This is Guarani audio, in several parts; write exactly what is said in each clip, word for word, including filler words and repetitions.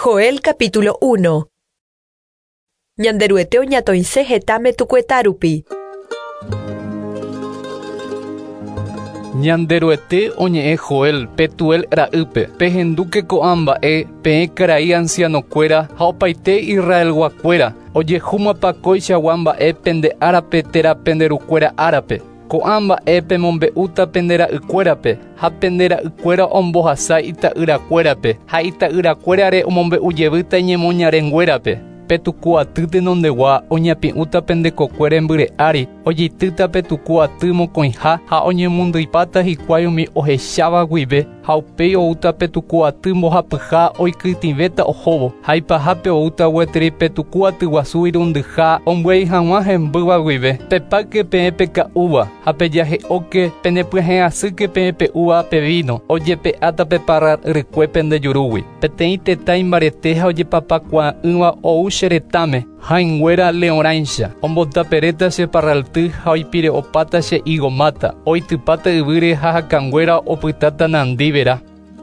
Joel capítulo uno. Ñanderuete oñatoinse hetãme tukuetarupi. Ñanderuete oñe'ẽ Joel, Petuel ra'ýpe, pehendúke ko'ã mba'e, peẽ karai ancianokuéra ha opaite Israelguakuéra, ojehúmapa kóichagua mba'e pende árape térã pende rukuéra árape. Ko'ã mba'e pemombe'úta pende ra'ykuérape ha pende ra'ykuéra ombohasa ita'yrakuérape ha ita'yrakuérare omombe'ujevýta iñemoñarenguérape. Petuku aty tenondegua oñapi'ũta pende kokue rembyre ári, ojeitýta petuku aty mokõiha ha oñemondyipáta hikuái umi ohecháva guive ha upéi oúta petuku aty mbohapyha oikytĩvéta ohóvo ha ipahápe oúta gueteri petuku aty guasu irundyha ombyai hag̃ua hembýva guive. Pepáke peẽ peka'úva ha pejahe'óke penepyahẽ'asýke peẽ pe'úva pe vino, ojepe'áta pe parral rykue pende jurúgui. Peteĩ tetã imbarete ha ojepapakuaa'ỹva ou che retãme, ha'ỹinguéra leõrãicha, ombotaperéta che parralty ha oipire'opáta che higo máta, oitypáta yvýre ha hakãnguéra opytáta nandívera.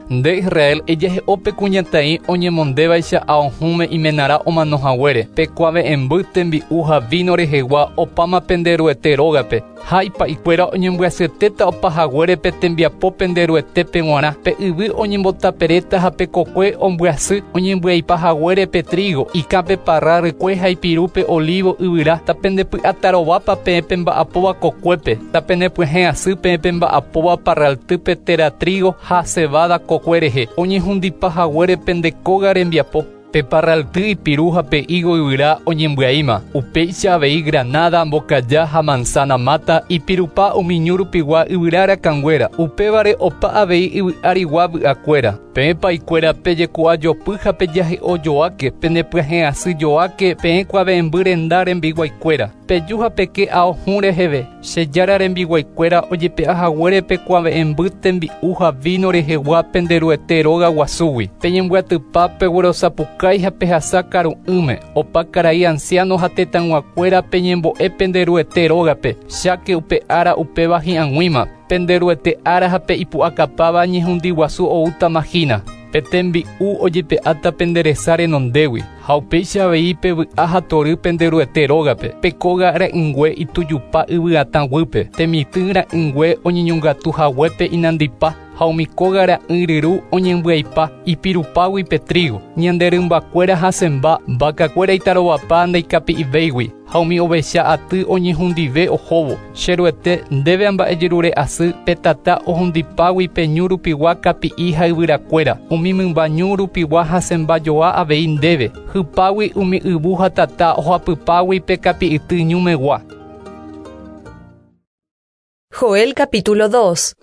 Nde Israel ejahe'ópe kuñataĩ oñemondévaicha aohũme imenarã omanohaguére, pekuave'ẽmby tembi'u ha vino rehegua opáma penderuete rógape, ha ipa'ikuéra oñembyasyetéta opahaguére pe tembiapo penderuetépe g̃uarã, pe yvy oñembotaperéta ha pe kokue ombyasy oñembyaipahaguére pe trigo, ikã pe parral rykue ha ipirúpe olivo yvyra, tapendepy'atarovápa peẽ pemba'apóva kokuépe, tapenepyahẽ'asy peẽ pemba'apóva parraltýpe térã trigo ha cebada kokue rehe, oñehundipahaguére pende kóga rembiapo. Pe parralty ipiru ha pe higo yvyra oñembyaíma, upéicha avei granada, mbokaja ha manzana máta ipirupa umi ñu rupigua yvyra rakãnguéra, upévare opa avei yvy arigua vy'akuéra. Peẽ pa'ikuéra pejeku'ajopy ha pejahe'ojoáke, penepyahẽ'asýjoáke peẽ kuave'ẽmby renda rembiguaikuéra. Peju ha peke aohũ reheve, che jára rembiguaikuéra ojepe'ahaguére pe kuave'ẽmby tembi'u ha vino rehegua penderuete róga guasúgui. Peñembyatypa peguerosapukái ha pehasa karu'ỹme, opa karai anciano ha tetãyguakuéra peñembo'e penderuete rógape, cháke upe ára upéva hi'ag̃uíma, penderuete ára ha pe ipu'akapáva ñehundi guasu oútama hína. Pe tembi'u ojepe'áta pende resa renondégui, ha upéicha avei pevy'a ha tory penderuete rógape, pe kóga ra'ỹingue itujupa yvyatã guýpe, temitỹ ra'ỹingue oñeñongatu haguépe inandipa, ha umi kóga ra'ỹi ryru oñembyaipa ipirupágui pe trigo. Ñande rymbakuéra hasẽmba, vakakuéra itarovapa ndaikapi'ivéigui, ha umi ovecha aty oñehundive ohóvo. Cheruete ndéve amba'ejerure'asy pe tata ohundipágui pe ñu rupigua kapi'i ha yvyrakuéra, umi mymba ñu rupigua hasẽmbajoa avei ndéve, hypágui umi yvu ha tata ohapypágui pe kapi'yty ñumegua. Joel capítulo dos.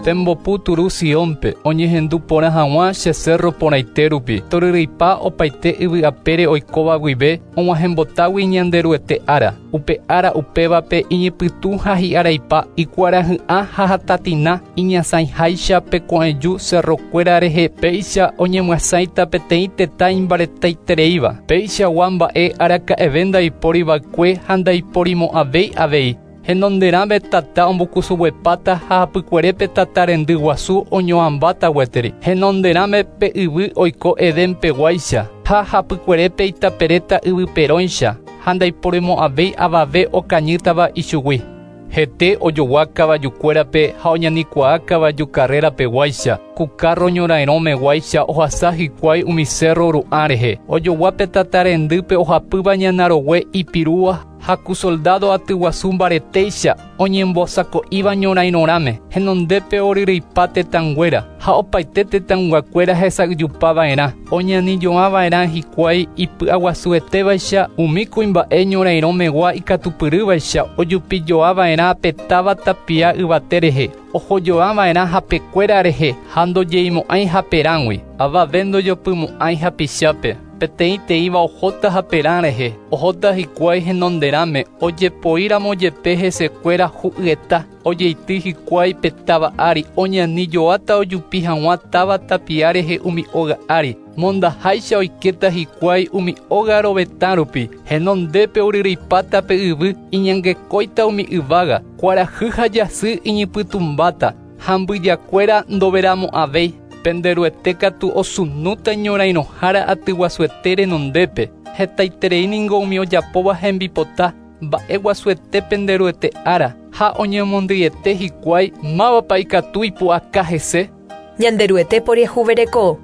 Pembopu turu Siónpe, oñehendu porã hag̃ua che cerro porãite rupi, toryryipa opaite yvy apére oikóva guive, og̃uahẽmbotágui Ñanderuete ára. Upe ára upévape iñypytũ ha hi'araipa, ikuarahy'ã ha hatatina, iñasãiháicha pe ko'ẽju cerrokuéra rehe, péicha oñemyasãita peteĩ tetã imbaretaitereíva. Péichagua mba'e araka'eve ndaiporiva'ekue ha ndaiporimo'ãvéi avei. Henonderãme tata ombokusuguepáta ha hapykuerépe tata rendy guasu oñohãmbáta gueteri. Henonderãme pe yvy oiko Edénpeguáicha ha hapykuerépe itaperéta yvyperõicha ha ndaiporimo'ãvéi avave okañýtava ichugui. Hete ojogua kavajukuérape ha oñanikuaa kavaju carrerapeguáicha, ku carro ñorairõmeguáicha ohasa hikuái umi cerro ru'ã rehe. Ojogua pe tata rendýpe ohapýva ñanarogue ipirúva ha ku soldado aty guasu mbaretéicha oñembosako'íva ñorairõrãme. Henondépe oryryipa tetãnguéra ha opaite tetãyguakuéra hesa'yjupava'erã, oñanijoava'erã hikuái ipy'aguasuetévaicha umi kuimba'e ñorairõmegua ikatupyrývaicha ojupijoava'erã pe táva tapia yvate rehe, ohojoava'erã hapekuéra rehe ha ndojeimo'ãi haperãgui. Avave ndojopymo'ãi hapichápe, peteĩ teĩva ohóta haperã rehe, ohóta hikuái henonderãme, ojepoíramo jepe hesekuéra hu'yeta, ojeity hikuái pe táva ári, oñanijoáta ojupi hag̃ua táva tapia rehe umi óga ári, mondaháicha oikéta hikuái umi óga rovetã rupi, henondépe oryryipáta pe yvy, iñangekóita umi yvága, kuarahy ha jasy iñypytũmbáta, ha mbyjakuéra ndoveramo'ãvéi. Pende Ruete katu osunúta ñorairõhára atyguasuete renondépe. Hetaiterei ningo umi ojapóva hembipota mba'eguasuete pende Ruete ára ha oñemondýiete hikuái mávapa ikatu ipu'aka hese. Ñanderuete poriahuvereko.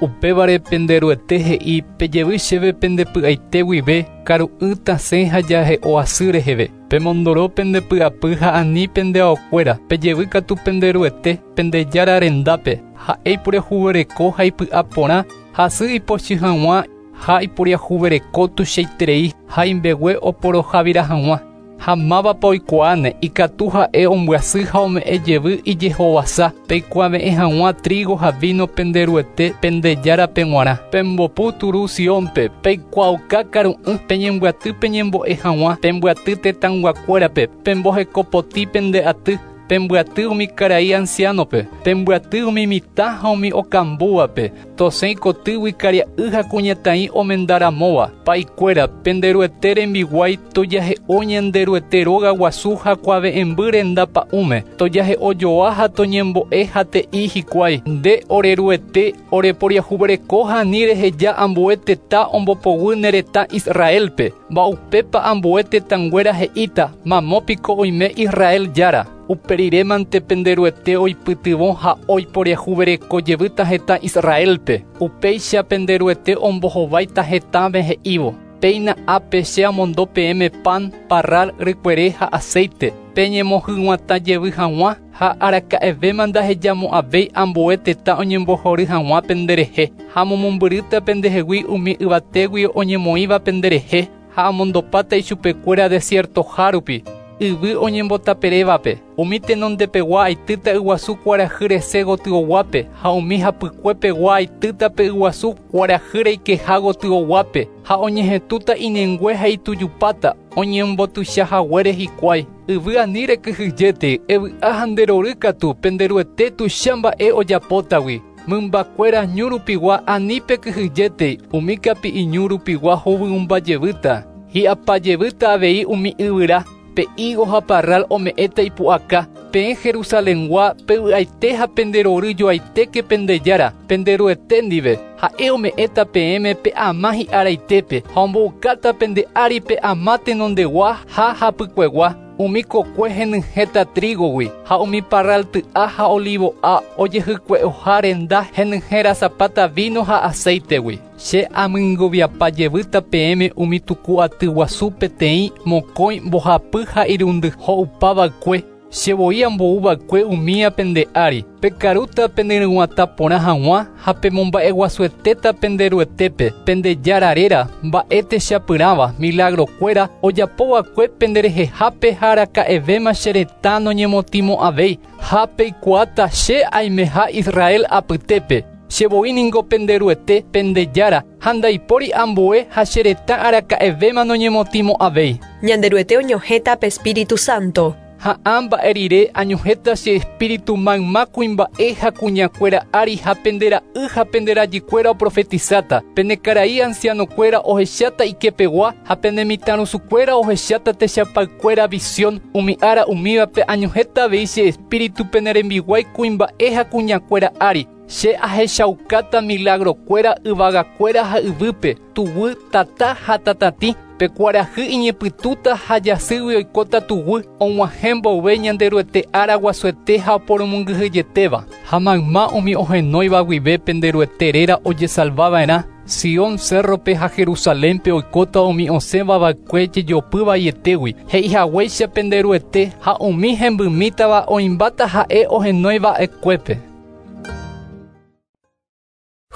Upévare pende Ruete he'i pejevy chéve pende py'aite guive karu'ỹ tasẽ ha jahe'o asy reheve. Pemondoro pende py'apy ha ani pende aokuéra. Pejevy katu pende Ruete pende Jára rendápe. Ha'e iporiahuvereko ha ipy'aporã hasy ipochy hag̃ua ha iporiahuvereko tuichaiterei ha imbegue oporohavira hag̃ua. Ha mávapa oikuaáne ikatu ha'e ombyasy ha ome'ẽ jevy ijehovasa peikuave'ẽ hag̃ua trigo ha vino pende Ruete pende Járape g̃uarã. Pembopu turu Siónpe peikuaauka karu'ỹ peñembyaty peñembo'e hag̃ua pembyaty tetãyguakuérape pembohekopotĩ pende aty pembyaty umi karai ancianope pembyaty umi mitã ha umi okambúvape tosẽ kotýgui karia'y ha kuñataĩ omendaramóva. Pa'ikuéra pende Ruete rembiguái tojahe'o Ñanderuete róga guasu ha kuave'ẽmby renda pa'ũme tojahe'ojoa ha toñembo'e ha te'i hikuái. Nde ore Ruete oreporiahuvereko ha ani reheja ambue tetã ombopoguy ne retã Israelpe. Mba'upépa ambue tetãnguéra he'íta mamópiko oime Israel Jára. Uperiremante pende Ruete oipytyvõ ha oiporiahuvereko jevýta hetã Israelpe. Upéicha pende Ruete ombohováita hetãme he'ívo. Péina ápe che amondo peẽme pan, parral, rykuere ha aceite. Peñemohyg̃uatã jevy hag̃ua ha araka'evéma ndahejamo'ãvéi ambue tetã oñembohory hag̃ua penderehe. Ha momombyrýta pendehegui umi yvatégui oñemoĩva penderehe ha amondopáta ichupekuéra desiertoha rupi. Yvy oñembotaperévape. Umi tenondepegua aitýta yguasu kuarahy rese gotyoguápe ha umi hapykuepegua aitýta pe yguasu kuarahy reikeha gotyoguápe ha oñehetũta inengue ha itujupáta oñembotuichahaguére hikuái. Yvy ani rekyhyjéte evy'a ha nderory katu pende Ruete tuicha mba'e ojapótagui. Mymbakuéra ñu rupigua ani pekyhyjéte umi kapi'i ñu rupigua hovyũmbajevýta. Hi'apajevýta avei umi yvyra. Pe higo ha parral ome'ẽta ipu'aka. Peẽ Jerusalengua pevy'aite ha penderoryjoaitéke pende Jára pende Ruete ndive. Ha'e ome'ẽta peẽme pe ama hi'araitépe ha omboukáta pende ári pe ama tenondegua ha hapykuegua. Umi kokue henyhẽta trigogui ha umi parral ty'a ha olivo'a ojehykue'oha renda henyhẽrasapáta vino ha aceitegui. Che amyngoviapa jevýta peẽme umi tuku aty guasu peteĩ mokõi mbohapy ha irundy ho'upava'ekue. Che voi ambouva'ekue umía pende ári. Pekarúta penderyg̃uatã porã hag̃ua ha pemomba'eguasuetéta pende Ruetépe pende Jára réra mba'e techapyrãva milagrokuéra ojapova'ekue penderehehápe ha araka'evéma che retã noñemotĩmo'ãvéi ha peikuaáta che aimeha Israel apytépe. Che voi ningo pende Ruete pende Jára ha ndaipóri ambue ha che retã araka'evéma noñemotĩmo'ãvéi. Ñanderuete oñohẽta pe Espíritu Santo. Ha ã mba'e rire añohẽta che espíritu mayma kuimba'e ha kuñakuéra ári ha pende ra'y ha pende rajykuéra oprofetizáta. Pende karai ancianokuéra ohecháta ikepegua ha pende mitãrusukuéra ohecháta techapaykuéra visión. Umi ára umívape añohẽta avei che espíritu pene rembiguái kuimba'e ha kuñakuéra ári. Che ahechaukáta milagrokuéra yvagakuéra ha yvýpe, tuguy, tata ha tatatĩ. Pe kuarahy iñepytũta ha jasýgui oikóta tuguy og̃uahẽ mboyve Ñanderuete ára guasuete ha oporomongyhyjetéva. Ha mayma umi ohenóiva guive pende Ruete réra ojesalvava'erã. Sion cerrope ha Jerusalénpe oikóta umi osẽvava'ekue jejopyvaietégui. He'ihaguéicha pende Ruete ha umi hembymítava oĩmbáta ha'e ohenoiva'ekuépe.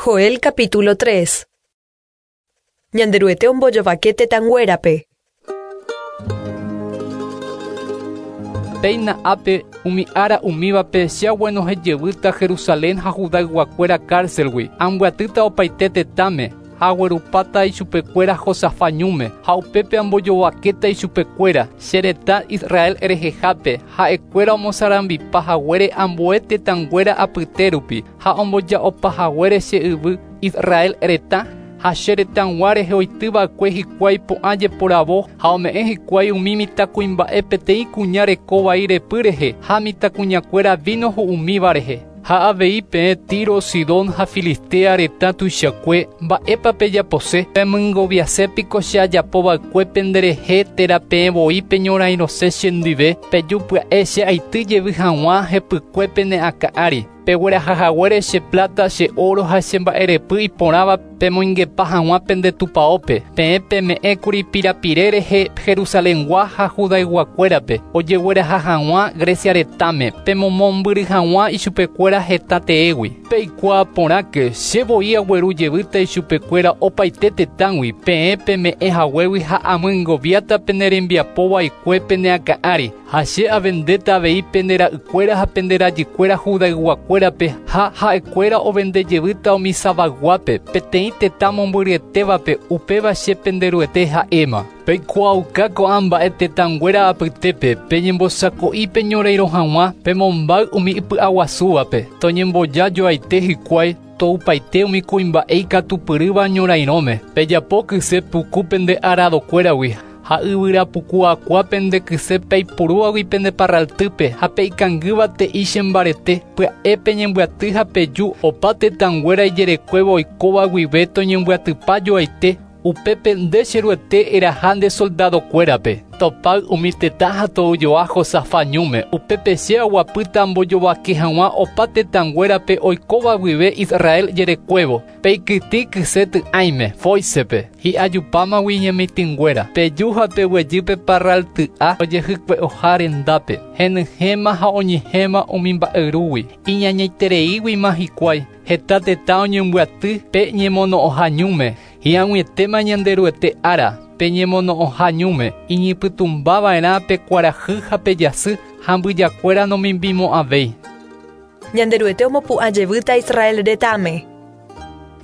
Joel capítulo tres. Ñanderuete ombojovake tetãnguérape. Péina ápe umi ára umívape che aguenohẽjevýta Jerusalén ha Judayguakuéra cárcelgui. Ambyatýta opaite tetãme ha aguerupáta ichupekuéra Josafat ñúme ha upépe ambojovakéta ichupekuéra che retã Israel rehehápe ha'ekuéra omosarambipa haguére ambue tetãnguéra apyte rupi ha omboja'opahaguére che yvy Israel retã ha che retãgua rehe oityva'ekue hikuái po'ã jeporavo ha ome'ẽ hikuái umi mitãkuimba'e peteĩ kuña reko vai repy rehe ha mitãkuñakuéra vino ho'umíva rehe. Ha avei peẽ Tiro, Sidón ha Filistea retã tuichakue mba'épa pejapose pemyngoviasépiko che ajapova'ekue penderehe térã peẽ voi peñorairõse chendive peju pya'e che aity jevy hag̃ua hepykue pene akã ári peguerahahaguére che plata, che oro ha che mba'erepy iporãva pemoingepa hag̃ua pende tupãópe peẽ peme'ẽkuri pirapire rehe Jerusalengua ha Judayguakuérape ojegueraha hag̃ua Grecia retãme pemomombyry hag̃ua ichupekuéra heta teégui peikuaa porãke che voi agueru jevýta ichupekuéra opaite tetãgui peẽ peme'ẽ haguégui ha amyngoviáta pene rembiapova'ekue pene akã ári ha che avendéta avei pende ra'ykuéra ha pende rajykuéra Judayguakuérape ha ha'ekuéra ovende jevýta umi Sabaguápe peteĩ tetã mombyryetévape upéva che penderuete ha'éma. Peikuaauka ko'ã mba'e tetãnguéra apytépe peñembosako'i peñorairõ hag̃ua pemombáy umi ipy'aguasúvape toñemboja joaite hikuái toupaite umi kuimba'e ikatupyrýva ñorairõme pejapo kyse puku pende aradokuéragui ha yvyrapukuakua pende kyse peipurúvagui pende parraltýpe ha peikangýva te'i chembarete pya'e peñembyaty ha peju opa tetãnguéra ijerekuévo oikóva guive toñembyatypa joaite upépe nde cheruete eraha nde soldadokuérape topáy umi tetã ha toujoa Josafat ñúme upépe che aguapýta ambojovake hag̃ua opa tetãnguérape oikóva guive Israel jerekuévo peikytĩ kyse ty'ãime Fóisepe hi'ajupámagui ñemitỹnguéra peju ha peguejýpe parralty'a ojehykue'oha rendápe henyhẽma ha oñehẽma umi mba'yrúgui iñañaitereíguima hikuái heta tetã oñembyaty pe ñemono'õha ñúme hi'ag̃uietéma Ñanderuete ára pe ñemono'õha ñúme iñipytũmbava'erã pe kuarahy ha pe jasy ha mbyjakuéra nomimbimo'ãvéi. Ñanderuete omopu'ã jevýta Israel retãme.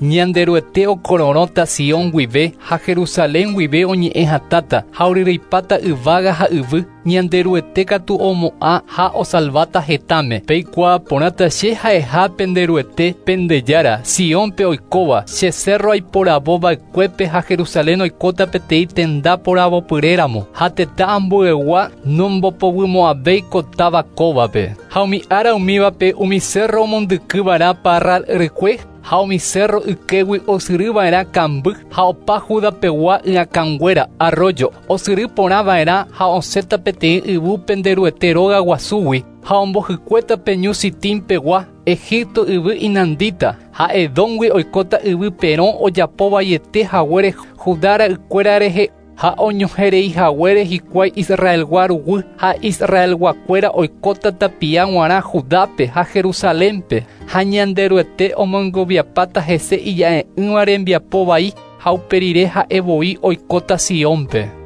Ñanderuete okororõta Sion guive ha Jerusalén guive oñe'ẽ hatãta ha oryryipáta yvága ha yvy Ñanderuete katu omo'ã ha osalváta hetãme peikuaa porãta che ha'eha penderuete pendejára Siónpe oikóva che cerro aiporavova'ekuépe ha Jerusalén oikóta peteĩ tenda poravopyréramo ha tetã ambuegua nombopovymo'ãvéi ko táva kóvape ha umi ára umívape umi cerro omondykyva'erã parral rykue ha umi cerro ykégui osyryva'erã kamby ha opa Judapegua ỹakãnguéra arroyo osyry porãva'erã ha osẽta peteĩ yvy penderuete róga guasúgui ha ombohykuéta pe ñu Sitímpegua Egipto yvy inandíta ha Edóngui oikóta yvy perõ ojapovaiete haguére Judá ra'ykuéra rehe ha oñoherei haguére hikuái Israelgua ruguy ha Israelguakuéra oikóta tapia g̃uarã Judápe ha Jerusalénpe ha Ñanderueteomongoviapáta hese ija'e'ỹva rembiapo vai ha uperire ha'e voi oikóta Siónpe.